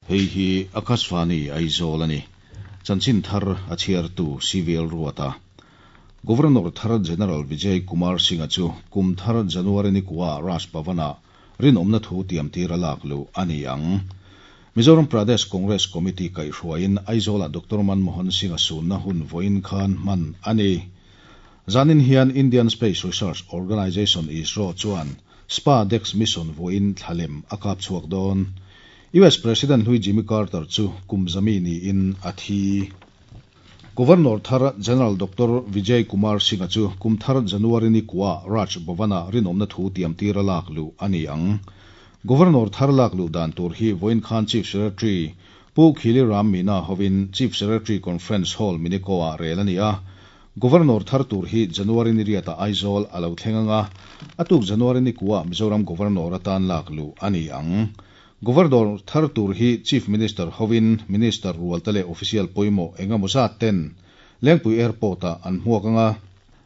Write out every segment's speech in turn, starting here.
Hei hi Akashvani Aizawl a ni. Chanchin thar a chhiartu CVL Ruata. Governor thar General Vijay Kumar Singh-a chu kum thar January ni kua Raj Bhavan-ah rinawmna thu tiamtir a lak luh a ni ang. Mizoram Pradesh Congress Committee kaihhruaiin Aizawlah Doctor Manmohan Singh-a sunna hun vawiin khan hman a ni. Zanin hian Indian Space Research Organisation, ISRO, chuan SpaDex mission vawiin thlalem a kap chhuak dawn. US President hlui Jimmy Carter chu kum zami niin a thi. Governor thar General Doctor Vijay Kumar Singh-a chu kum thar January ni kua Raj Bhavan-ah rinawmna thu tiamtir a lak luh a ni ang. Governor thar lak luh dan tur hi vawiin khan Chief Secretary Pu Khili Ram Meena hovin Chief Secretary Conference Hall Miniko-ah rel a ni a. Governor thar tur hi January ni riatah Aizawl a lo thleng ang a, a tuk January ni kuah Mizoram Governor atan lak luh a ni ang. Governor thar tur hi Chief Minister hovin Minister rualte leh official pawimawh eng emaw zat ten Lengpui Airport-ah an hmuak ang a,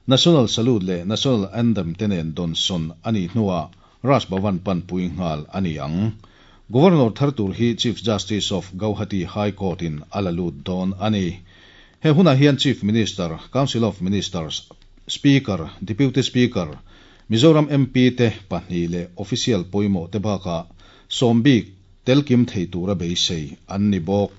National Salute leh National Anthem te nen dawnsawn a nih hnuah Raj Bhavan panpui nghal a ni ang. Governor thar tur hi Chief Justice of Gauhati High Court-in a la lut dawn a ni. He hunah hian Chief Minister, Council of Ministers, Speaker, Deputy Speaker, Mizoram MP te pahnih leh official pawimawh te bakah sawmbik telkim thei tura beisei an ni bawk.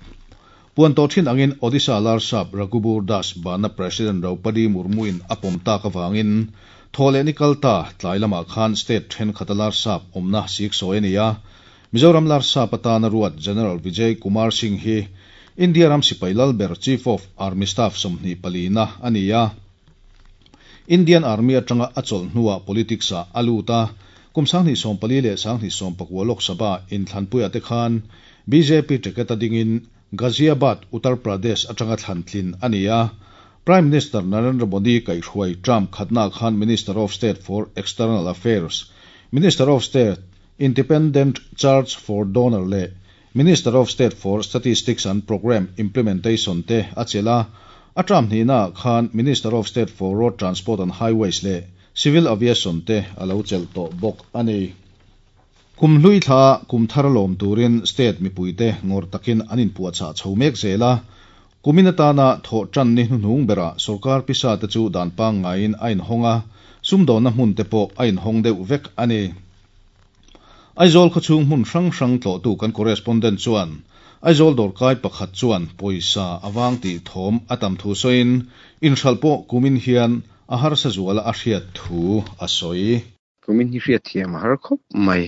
Puan tawh thin angin Odisha Larsap Raghubur Das bana President Draupadi Murmu-in a pawm tak avangin thawhleh ni kal ta tlai lamah khan state thenkhat a Larsap awmna siksawi a ni a. Mizoram Larsap atana ruat General Vijay Kumar Singh hi India ram sipai lalber Chief of Army Staff 24na a ni a. Indian Army atanga a chawlh hnuah politics-ah a lut a, kum 2014 leh 2019 Lok Sabha inthlanpuiah te khan bjp ticket a dingin Ghaziabad, Uttar Pradesh atanga thlan tlin a ni a. Prime Minister Narendra Modi kaihhruai term khatnaah khan Minister of State for External Affairs, Minister of State, Independent Charge for Donor leh Minister of State for Statistics and Programme Implementation te a chelh a, a term hnihnaah khan Minister of State for Road Transport and Highways leh Civil Aviation te a lo chelh tawh bawk a ni. Kum hlui thla kum thar lawm turin state mipuite ngawrh takin an inpuahchah chho mek zel a, kumin atana thawh tan ni hnuhnung berah sorkar pisa te chu dan pangngaiin a inhawng a, sumdawnna hmun te pawh a inhawng deuh vek a ni. Aizawl khawchhung hmun hrang hrang tlawhtu kan correspondent chuan Aizawl dawrkai pakhat chuan pawisa a vang tih thawm a tam thu sawiin inhralh pawh kumin hian a harsa zuala a hriat thu a sawi. Kumin hi hriatthiam a har khawp mai.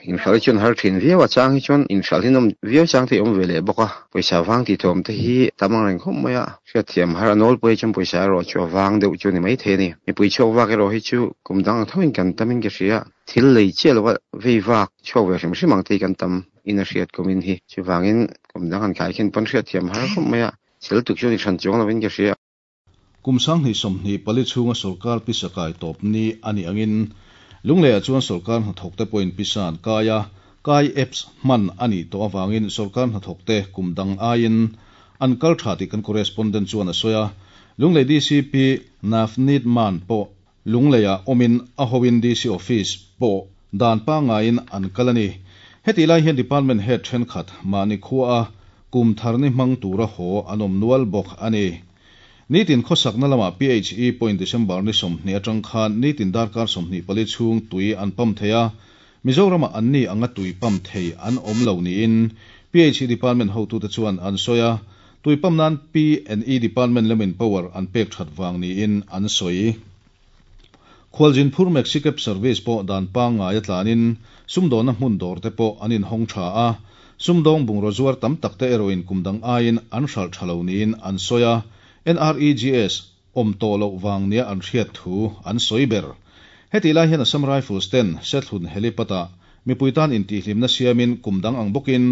Inhralh hi chuan har thin viau a, chang hi chuan inhralh hi nawm viau chang te hi awm ve leh bawk a, pawisa vang tih thawm te hi tam ang reng khawp mai a, hriatthiam har a nawl pawh hi chuan pawisa erawh chu a vang deuh chu a ni maithei a ni. Mipui chhuak vak erawh hi chu kum dang ang thoin kan tamin ka hria. Thil lei chiah lova vei vak chhuak ve hrim hrim ang te hi kan tam in a hriat kumin hi. Chuvangin kum dang han khai khin pawn hriatthiam har khawp mai a, thil tuk chu ni hran chuang lovin ka hria. Kum 2024 chhunga sorkar pisa kai tawp ni a nih angin Lungleiah chuan sorkar hnathawkte pawhin pisa an kai a, kai apps hman a nih tawh avangin sorkar hnathawkte kum dang aiin an kal tha tih kan correspondent chuan a sawi a. Lunglei DCP Navneet Mann pawh Lungleiah awmin a hoin DC Office pawh dan pangngaiin an kal a ni. Hetih lai hian Department Head thenkhat mahni khuaa kum tharni hmang tura haw an awm nual bawk a ni. Nitin khawsakna lamah PHE pawhin December ni 20 atang khan nitin darkar 24 chhung tui an pump thei a, Mizoramah anni anga tui pump thei an awm lo niin PHE Department hotute chuan an sawi a, tui pump nan P and E Department lamin power an pek that vang niin an sawi. Khualjin phur Maxi Cab service pawh dan pangngai a tlanin sumdawnna hmun dawr te pawh an inhawng tha a, sumdawng bungraw zuar tam tak te erawhin kum dang aiin an hralh tha lo niin an sawi a, NREGS awm tawh loh vang nia an hriat thu an sawi ber. Hetih lai hian Assam Rifles ten Sethlun helipad-ah mipui tan intihhlimna siamin kum dang ang bawkin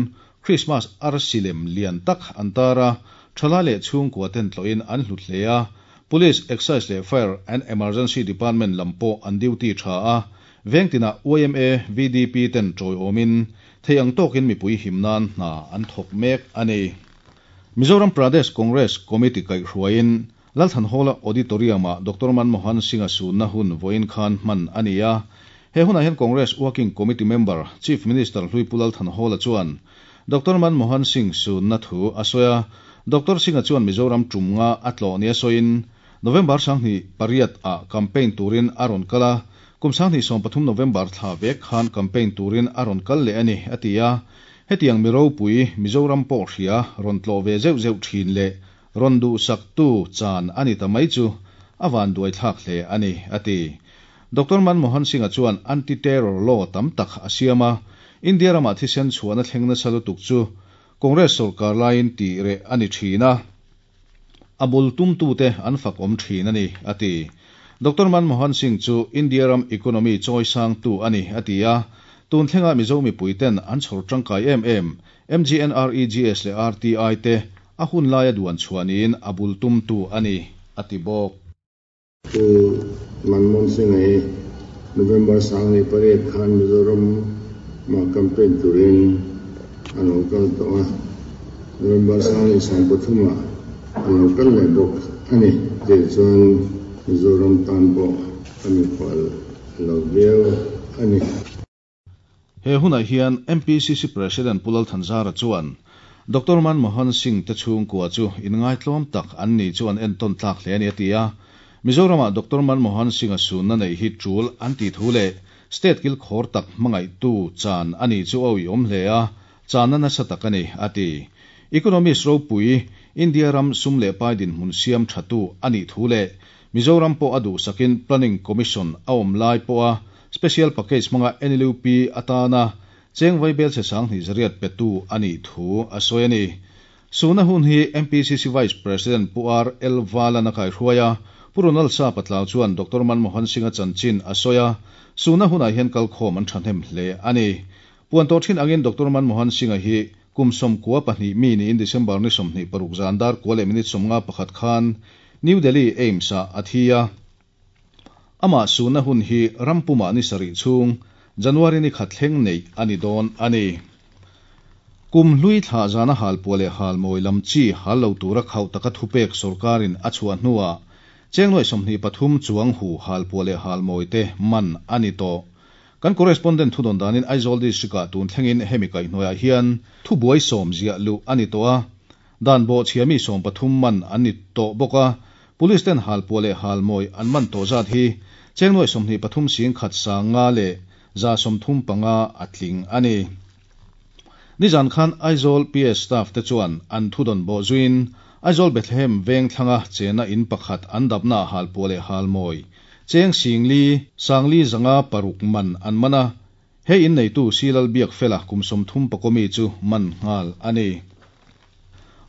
Christmas arsi lem lian tak an tar a, thalai leh chhungkua ten tlawhin an hlut hle a, Police, Excise leh Fire and Emergency Department lam pawh an duty tha a, vengtinah yma, VDP ten tawiawmin thei ang tawkin mipui him nan hna an thawk mek a ni. Mizoram Pradesh Congress Committee kaihhruaiin Lalthanhawla Auditorium-ah Doctor Manmohan Singh-a sunna hun vawiin khan hman a ni a. He hunah hian Congress Working Committee member, Chief Minister Hlui Pu Lalthanhawla chuan Doctor Manmohan Singh sunna thu a sawi a. Doctor Singh-a chuan Mizoram tum nga a tlawh nia sawiin, November 28 ah campaign turin a rawn kal a, kum 2013 November thla vek khan campaign turin a rawn kal leh a ni, a ti a. Hetiang mi ropui, Mizoram pawh hria, rawn tlawh ve zeuh zeuh thin leh rawn duhsaktu chan a ni ta mai chu a vanduaithlak hle a ni, a ti. Doctor Manmohan Singh-a chuan anti-terror law tam tak a siam a, India ramah thisen chhuahna thleng nasa lutuk chu Congress sorkar laiin tih reh a ni thin a, a bul tumtute an fak awm thin a ni, a ti. Doctor Manmohan Singh chu India ram economy chawisangtu a ni, a ti a. Tun thlenga Mizo mipuiten an chhawr tangkai em em MGNREGS leh RTI te a hun laia duan chhuah niin a bul tumtu a ni, a ti bawk. Pu Manmohan Singh-a hi November 28 khan Mizoram mah campaign turin a lo kal tawh a, November 23 ah a lo kal leh bawk a ni. Tih chuan Mizoram tan pawh a mikhual lo viau a ni. He hunah hian MPCC President Pu Lal Thanzara chuan Doctor Manmohan Singh te chhungkua chu inngaitlawm tak an ni chu an entawn tlak hle a ni a ti a. Mizoramah Doctor Manmohan Singh-a sunna neih hi tul an tih thu leh state kilkhawr tak hmangaihtu chan a ni chu a uiawm hle a, channa nasa tak a ni a ti. Economist ropui, India ram sum leh pai dinhmun siam thatu a nih thu leh Mizoram pawh a duhsakin Planning Commission a awm lai pawha Special Package hmanga NLUP atana cheng vaibel chhe 20 zariat petu a nih thu a sawi a ni. Suna hun hi MPCC Vice President Pu R L Valan a kaihruai a, Pu Ronald Sapa Tlau chuan Doctor Manmohan Singh-a chanchin a sawi a, suna hunah hian kalkhawm an thahnem hle a ni. Puan tawh thin angin Doctor Manmohan Singh-a hi kum 92 mi niin December ni 26 zan dar kua leh minute 51 khan New Delhi AIIMS-ah a thi a. Amah sunna hun hi ram pumah ni sarih chhung January ni khat thleng neih a ni dawn a ni. Kum hlui thlah zana halpuah leh halmawi lam chi hal lo tura khauh taka thupek sorkarin a chhuah hnuah cheng nuaih 23 chuang hu halpuah leh halmawi te man a ni tawh. Kan correspondent thudawn danin Aizawl District-ah tun thlengin hemi kaihhnuaiah hian thubuai sawm ziah luh a ni tawh a, dan bawhchhia mi 13 man an ni tawh bawk a, Police ten halpuah leh halmawi an man tawh zat hi cheng nuaih 23 sing khat 500 leh 135 a tling a ni. Nizan khan Aizawl PS staff te chuan an thudawn bawh zuiin Aizawl Bethlehem veng thlanga chena in pakhat an dapnaah halpuah leh halmawi cheng singli sangli zanga paruk man an man a, he in neitu Silal Biakfela kum 30 pakawmi chu man nghal a ni.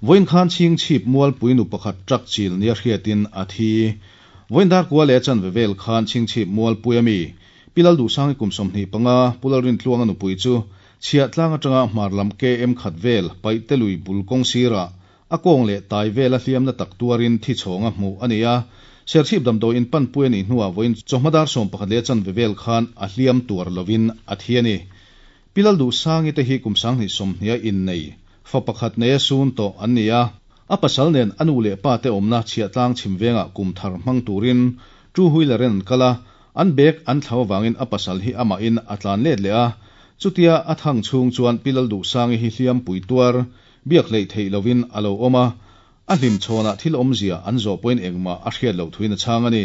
Vawiin khan chhingchhip mualpui nu pakhat truck chil nia hriatin a thi. Vawiin dar kua leh a chanve vel khan chhingchhip mualpui ami Pi Lalduhsangi kum 25, Pu Lalrintluanga nupui chu chhiah tlang atanga hmar lam KM khat vel Paihte lui bul kawng sirah a kawng leh tai vela hliamna tak tuarin thi chhawnga hmuh a ni a. Serchhip damdawi in panpui a nih hnuah vawiin chawhma dar 11 leh a chanve vel khan a hliam tuar lovin a thi a ni. Pi Lalduhsangi te hi kum 2020 a innei, fa pakhat neia sun tawh an ni a. A pasal nen a nu leh pa te awmna chhiahtlang chhim vengah kum thar hmang turin two wheeler in an kal a, an bag an thlau avangin a pasal hi amahin a tlan let leh a. Chutia a thang chhung chuan Pi Lalduhsangi hi hliampui tuar, biak hleih theih lovin a lo awm a. A hlim chhawnah thil awmzia an zawh pawhin engmah a hriat loh thuin a chhang a ni.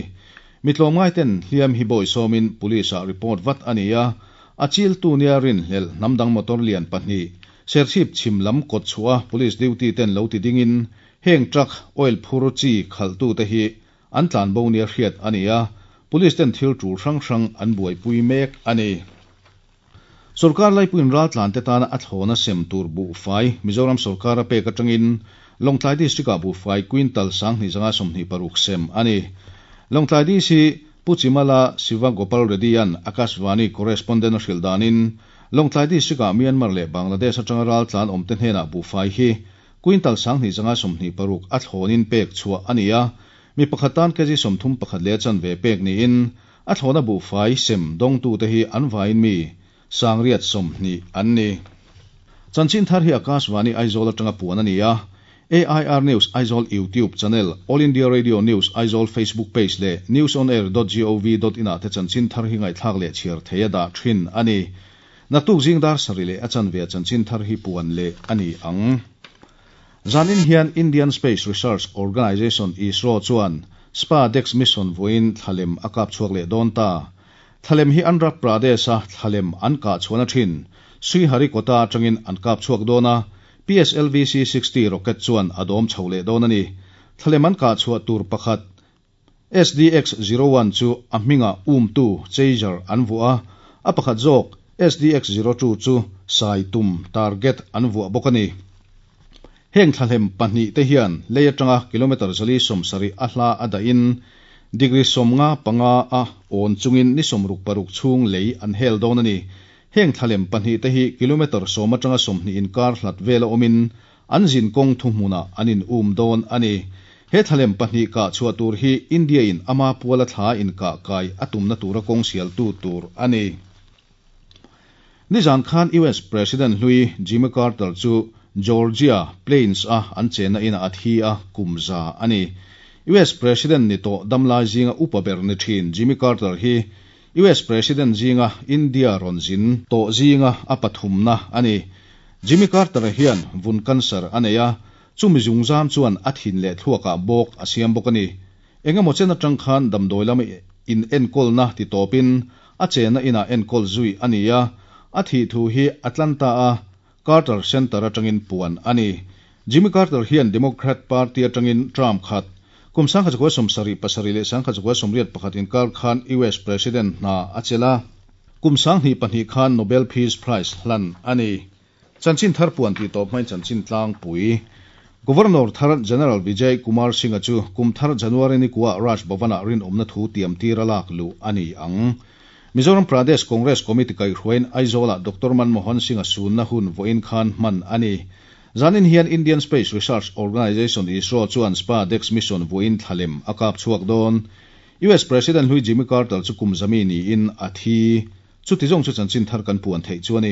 Mi tlawmngai ten hliam hi bawi sawmin police ah report vat a ni a, a chiltu nia rinhlelh hnam dang motor lian pahnih Serchhip chhim lam kawt chhuah a police duty ten lo ti dingin heng truck oil phur chi khalhtu te hi an tlanbo nia hriat a ni a, police ten thil tul hrang hrang an buaipui mek a ni. Sorkar laipuiin raltlan te tana a thlawna sem tur buhfai Mizoram sorkar a pek atangin Lawngtlai District-ah buhfai quintal 2526 sem a ni. Lawngtlai DC Pu Chimala Siva Gopal Reddy-a'n Akashvani correspondent a hrilh danin Lawngtlai District-ah Myanmar leh Bangladesh atanga raltlan awmte hnenah buhfai hi quintal 2526 a thlawnin pek chhuah a ni a, mi pakhat tan kg 31 leh a chanve pek niin A thlawhna buhfai sem dawngtute hi an vaiin mi 120 an ni. Chanchin thar hi Akashvani Aizawl atanga puan a ni a, AIR News Aizawl YouTube channel, All India Radio News Aizawl Facebook page leh newsonair dot gov dot in ah te chanchin thar hi ngaihthlak leh chhiar thei a dah thin a ni. Naktuk zing dar sarih leh a chanve chanchin thar hi puan leh a ni ang. Zanin hian Indian Space Research Organisation, ISRO, chuan SpaDex mission vawiin thlalem a kap chhuak leh dawn ta. Thlalem hi Andhra Pradesh-a thlalem an kah chhuahna thin Sriharikota atangin an kap chhuak dawn a, PSLV C-60 rocket chuan a dawm chho leh dawn a ni. Thlalem an kah chhuah tur pakhat SDX-01 chu a hmingah umtu, chaser, an vuah a, a pakhat zawk SDX-02 chu sai tum, target, an vuah bawk a ni. Heng thlahlem pahnihte hian lei atanga kilometre 470 a hla a dahin degree 55 a awn chungin ni 66 chhung lei an hel dawn a ni. Heng thlahlem pahnihte hi kilometre 10 atanga 20 inkar hlat vela awmin an zin kawng thuhmunah an in um dawn a ni. He thlalem pahnih kah chhuah tur hi India in ama puala thla inkah kai a tumna tura kawng sialtu tur a ni. Nizan khan US President hlui Jimmy Carter chu Georgia Plains a an chenna inah a thi a, kum za a ni. US President ni tawh damlai zinga upa ber ni thin Jimmy Carter hi US President zinga India rawn zin tawh zinga a pathumna a ni. Jimmy Carter-a hian vun cancer a nei a, chumi zungzam chuan a thin leh thluakah bawk a siam bawk a ni. Engemaw chen atang khan damdawi lama in enkawlna ti tawpin a chenna inah enkawl zui a ni a, a thih thu hi Atlanta a Carter Center atangin puan a ni. Jimmy Carter hian Democrat Party atangin term khat, kum 1977 leh 1981 inkar khan US President hna a chelh a, kum 2002 khan Nobel Peace Prize hlan a ni. Chanchin thar puan tih tawp hmain chanchin tlangpui. Governor thar General Vijay Kumar Singh-a chu kum thar January ni kuah Raj Bhavan-ah rinawmna thu tiam tir a lak luh a ni ang. Mizoram Pradesh Congress Committee kaihhruaiin Aizawl-ah Doctor Manmohan Singh-a sunna hun vawiin khan hman a ni. Zanin hian Indian Space Research Organisation, ISRO, chuan SpaDex mission vawiin thlalem a kap chhuak dawn. US President hlui Jimmy Carter chu kum zami niin a thi. Chuti zawng chu chanchin thar kan puan theih chu a ni.